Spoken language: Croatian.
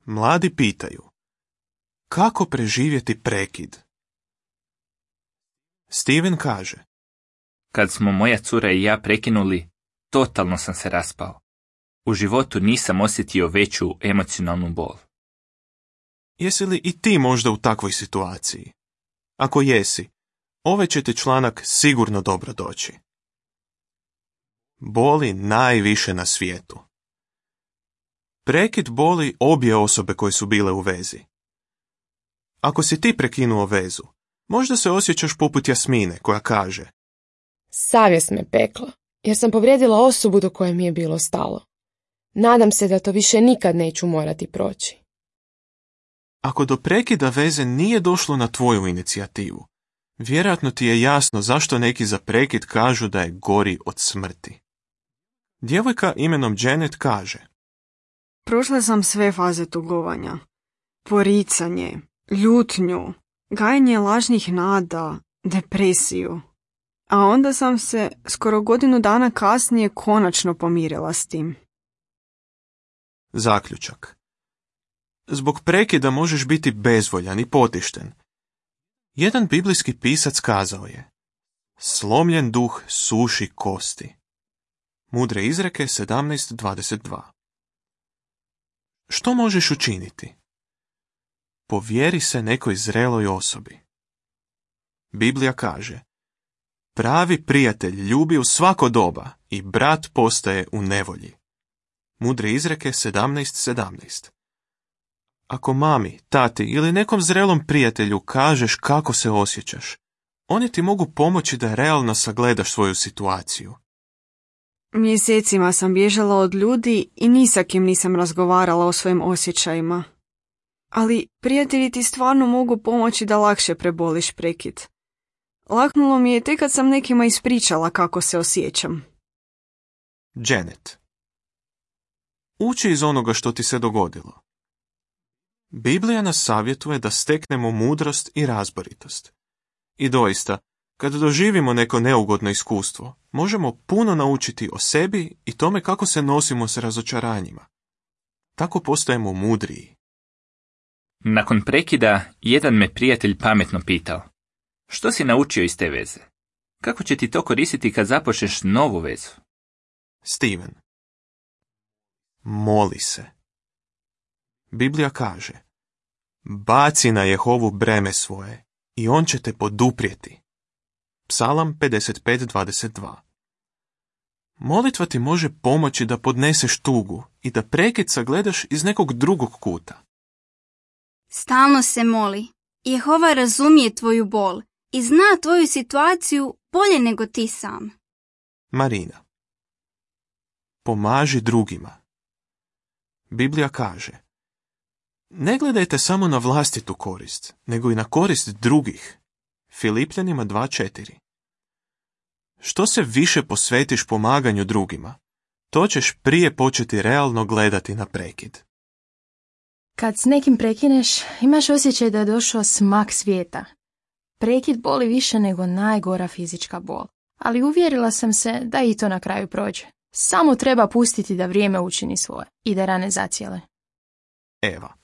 Mladi pitaju, kako preživjeti prekid? Steven kaže, Kad smo moja cura i ja prekinuli, totalno sam se raspao. U životu nisam osjetio veću emocionalnu bol. jesi li i ti možda u takvoj situaciji? Ako jesi, ovaj će ti članak sigurno dobro doći. Boli najviše na svijetu. Prekid boli obje osobe koje su bile u vezi. Ako si ti prekinuo vezu, možda se osjećaš poput Jasmine koja kaže, Savjest me pekla, jer sam povrijedila osobu do koje mi je bilo stalo. Nadam se da to više nikad neću morati proći. ako do prekida veze nije došlo na tvoju inicijativu, vjerojatno ti je jasno zašto neki za prekid kažu da je gori od smrti. Djevojka imenom Janet kaže, Prošla sam sve faze tugovanja. Poricanje, ljutnju, gajenje lažnih nada, depresiju. A onda sam se skoro godinu dana kasnije konačno pomirila s tim. zaključak. Zbog prekida možeš biti bezvoljan i potišten. Jedan biblijski pisac kazao je, slomljen duh suši kosti. Mudre izreke 17:22. Što možeš učiniti? Povjeri se nekoj zreloj osobi. Biblija kaže, pravi prijatelj ljubi u svako doba i brat postaje u nevolji. Mudre izreke 17:17. Ako mami, tati ili nekom zrelom prijatelju kažeš kako se osjećaš, oni ti mogu pomoći da realno sagledaš svoju situaciju. Mjesecima sam bježala od ljudi i ni sa kim nisam razgovarala o svojim osjećajima. Ali prijatelji ti stvarno mogu pomoći da lakše preboliš prekid. Laknulo mi je tek kad sam nekima ispričala kako se osjećam. Janet. Uči iz onoga što ti se dogodilo. Biblija nas savjetuje da steknemo mudrost i razboritost. I doista, kad doživimo neko neugodno iskustvo, možemo puno naučiti o sebi i tome kako se nosimo s razočaranjima. Tako postajemo mudriji. Nakon prekida, jedan me prijatelj pametno pitao, što si naučio iz te veze? Kako će ti to koristiti kad započneš novu vezu? Steven. Moli se. Biblija kaže, baci na Jehovu breme svoje i on će te poduprijeti. Psalam 55:22. Molitva ti može pomoći da podneseš tugu i da prekid sagledaš iz nekog drugog kuta. Stalno se moli. Jehova razumije tvoju bol i zna tvoju situaciju bolje nego ti sam. Marina. Pomaži drugima. Biblija kaže, ne gledajte samo na vlastitu korist, nego i na korist drugih. Filipljanima 2:4. Što se više posvetiš pomaganju drugima, to ćeš prije početi realno gledati na prekid. Kad s nekim prekineš, imaš osjećaj da je došao smak svijeta. Prekid boli više nego najgora fizička bol, ali uvjerila sam se da i to na kraju prođe. Samo treba pustiti da vrijeme učini svoje i da rane zacijele. Eva.